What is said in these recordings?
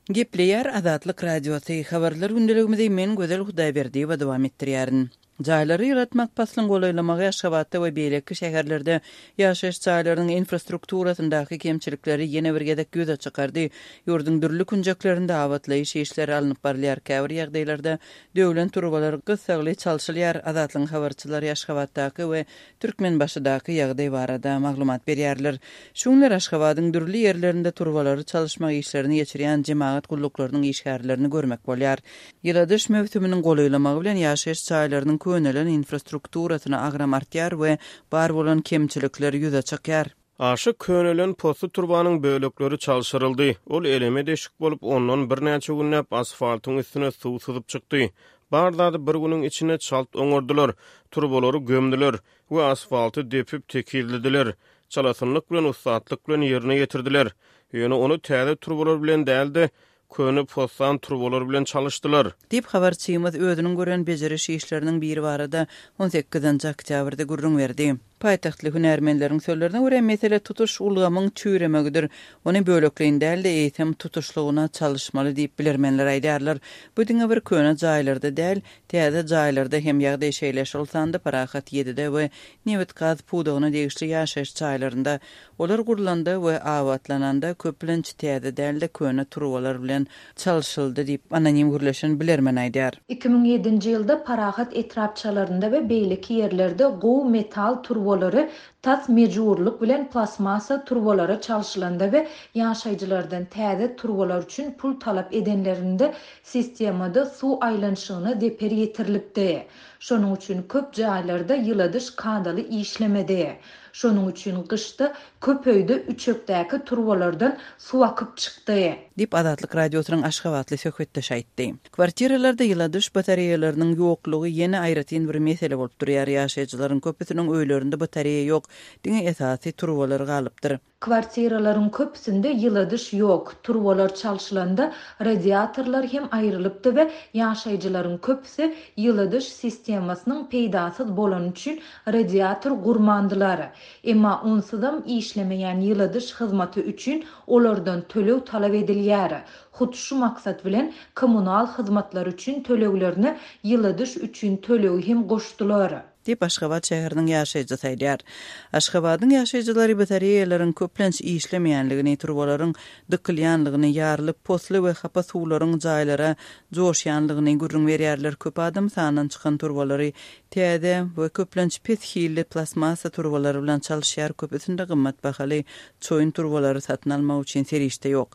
Gepleýär Azatlyk Radiosy, Habarlar gündeligimizi men Gözel Hudaýberdiýewa dowam etdirýärin. Jaýlary ýylatmak paslyň golaýlamagy Aşgabatda we beýleki şäherlerde ýaşaýyş jaýlarynyň infrastrukturasyndaky kemçilikleri ýene bir gezek ýüze çykardy. Ýurduň dürli künjeklerinde abatlaýyş işleri alnyp barylýar, käbir ýagdaýlarda döwlen turbalar gyssagly çalşylýar, Azatlygyň habarçylary Aşgabatdaky we Türkmenbaşydaky ýagdaý barada maglumat berýärler. Şu günler Aşgabadyň dürli ýerlerinde turbalary çalyşmak işlerini geçirýän jemagat gulluklarynyň işgärlerini görmek bolýar. Ýyladyş möwsüminiň golaýlamagy bilen ýaşaýyş jaýlarynyň könelen infrastrukturasyna agram artýar we bar bolan kemçilikler ýüze çykýar. Aşa könelen posly turbanyň bölekleri çalşyryldy. Ol eleme deşik bolup, ondan birnäçe günläp asfaltyň üstüne suw syzyp çykdy. Bar zady bir günüň içinde çalt oňardylar. Turbalary gömdüler we asfalty depip tekizlediler. Çalasynlyk bilen, ussatlyk bilen ýerine ýetirdiler. Ýöne ony täze turbalar bilen däl-de, köne poslan turbalar bilen çalyşdylar. Diýip, habarçymyz özüniň gören bejeriş işleriniň biri barada on sekizinji oktýabrda gürrüň berdi. Paýtagtly hünärmenleriň sözlerine görä, mesele tutuş ulgamyň çüýremegidir. Ony bölekleýin däl-de, eýsem, tutuşlygyna çalyşmaly diýip, bilermenler aýdýarlar. Bu diňe bir köne jaýlarda däl, täze jaýlarda hem ýagdaý şeýle, şol sanda Parahat ýedide we nebit-gaz pudagyna degişli ýaşaýyş jaýlarynda. Olar gurlanda we abatlananda, köplenç, täze däl-de, köne turbalar bilen çalşyldy diýip, anonim gürleşen bilermen aýdýar. 2007-nji ýylda Parahat etrapçalarynda we beýleki ýerlerde gowy metal turbalary tas mejburlyk bilen plastmassa turbalara çalşylanda we ýaşaýjylardan täze turbalar üçin pul talap edenlerinde sistemada suw aýlanyşygyna zeper ýetirilipdi. Şonuň üçin köp jaýlarda ýyladyş kadaly işlemedi. Şonuň üçin gyşda köp öýde üçekdäki turbalardan suw akyp çykdy. Diýip, Azatlyk Radiosynyň aşgabatly söhbetdeşi aýtdy. Kwartiralarda ýyladyş batareýalarynyň ýoklugy ýene aýratyn bir mesele bolup durýar. Ýaşaýjylaryň köpüsiniň öýlerinde batareýa ýok, diňe esasy turbalar galypdyr. Kwartiralaryň köpüsinde ýyladyş ýok, turbalar çalşylanda radiatorlar hem aýrylypdy we ýaşaýjylaryň köpüsi ýyladyş sistemasynyň peýdasyz bolany üçin radiator gurmandylar. Emma onsuzam işlemeýän ýyladyş hyzmaty üçin olardan töleg talap edilýär. Hut şu maksat bilen kommunal hyzmatlar üçin töleglerine ýyladyş üçin tölegi hem goşdular. Diýip, Aşgabat şäheriniň ýaşaýjysy aýdýar. Aşgabadyň ýaşaýjylary batareýalaryň köplenç işlemeýänligini, turbalaryň dykylýanlygyny, ýarylyp posly we hapa suwlaryň jaýlara joşýanlygyny gürrüň berýärler. Köp adam sandan çykan turbalary täze we köplenç pes hilli plastmassa turbalary bilen çalyşýar, köpüsinde gymmat bahaly çoýun turbalary satyn almak üçin serişde ýok.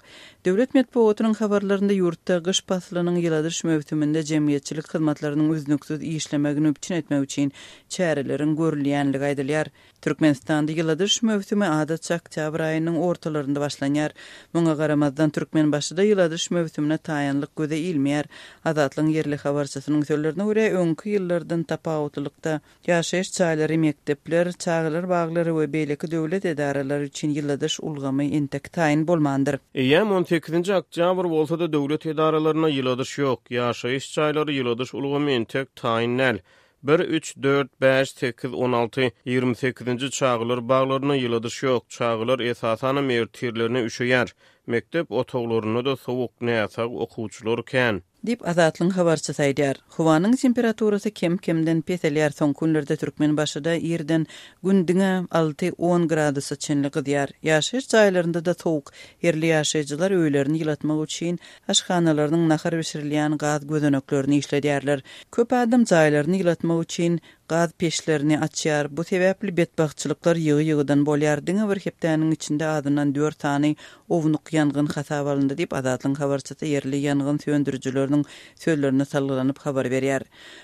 Döwlet metbugatynyň habarlarynda ýurtda gyş paslynyň ýyladyş möwsüminde jemgyýetçilik hyzmatlarynyň üznüksiz işlemegini üpjün etmek üçin çäreleriň görülýänligi aýdylýar. Türkmenistanda ýyladyş möwsümi adatça oktýabr aýynyň ortalarynda başlanýar. Muňa garamazdan, Türkmenbaşyda ýyladyş möwsümine taýynlyk göze ilmeýär. Azatlygyň ýerli habarçysynyň sözlerine görä, öňki ýyllardan tapawutlylykda, Ýaşaýyş jaýlary, mekdepler, çagalar baglary we beýleki döwlet edaralary üçin ýyladyş ulgamy entek taýyn bolmandyr. Eýýäm on sekizinji oktýabr bolsa-da döwlet edaralarynda ýyladyş ýok, ýaşaýyş jaýlary, ýyladyş ulgamy entek taýyn däl. Bir, üç, dört, bäş, sekiz, 16, 28-nji çagalar baglarynda ýyladyş ýok, çagalar esasanam ertirlerine üşeýär. Mekdep otaglarynda-da sowuk, näsag okuwçylar kän. Diýip, Azatlygyň habarçysy aýdýar. Howanyň temperaturasy kem-kemden peselýär, soňky günlerde Türkmenbaşyda irden Gün diňe alty, on gradusa çenli gyzýar. Ýaşaýyş jaýlarynda-da sowuk. Ýerli ýaşaýjylar öýlerini ýylatmak üçin aşhanalarynyň nahar bişirilýän gaz gözeneklerini işledýärler. Köp adam jaýlaryny ýylatmak üçin gaz peçlerini açýar. Bu sebäpli betbagtçylyklar ýygy-ýygydan bolýar. Diňe bir hepdäniň içinde azyndan dört sany ownuk ýangyn hasaba alyndy diýip, Azatlygyň habarçysy ýerli ýangyn söndürijileriniň sözlerine salgylanyp habar berýär.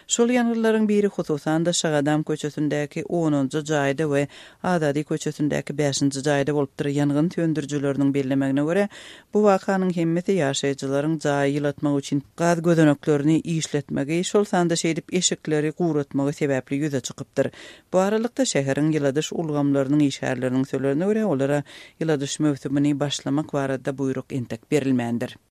Şol ýangynlaryň biri hususan-da Şagadam köçesindäki onunjy jaýda we Azady köçesindäki bäşinji jaýda bolupdyr. Ýangyn söndürijileriniň bellemegine görä, bu wakanyň hemmesi ýaşaýjylaryň jaýy ýylatmak üçin gaz gözeneklerini işletmegi, şol sanda şeýdip eşikleri guratmagy sebäpli ýüze çykypdyr. Bu aralykda, şäheriň ýyladyş ulgamlarynyň işgärleriniň sözlerine görä, olara ýyladyş möwsümini başlamak barada buýruk entek berilmändir.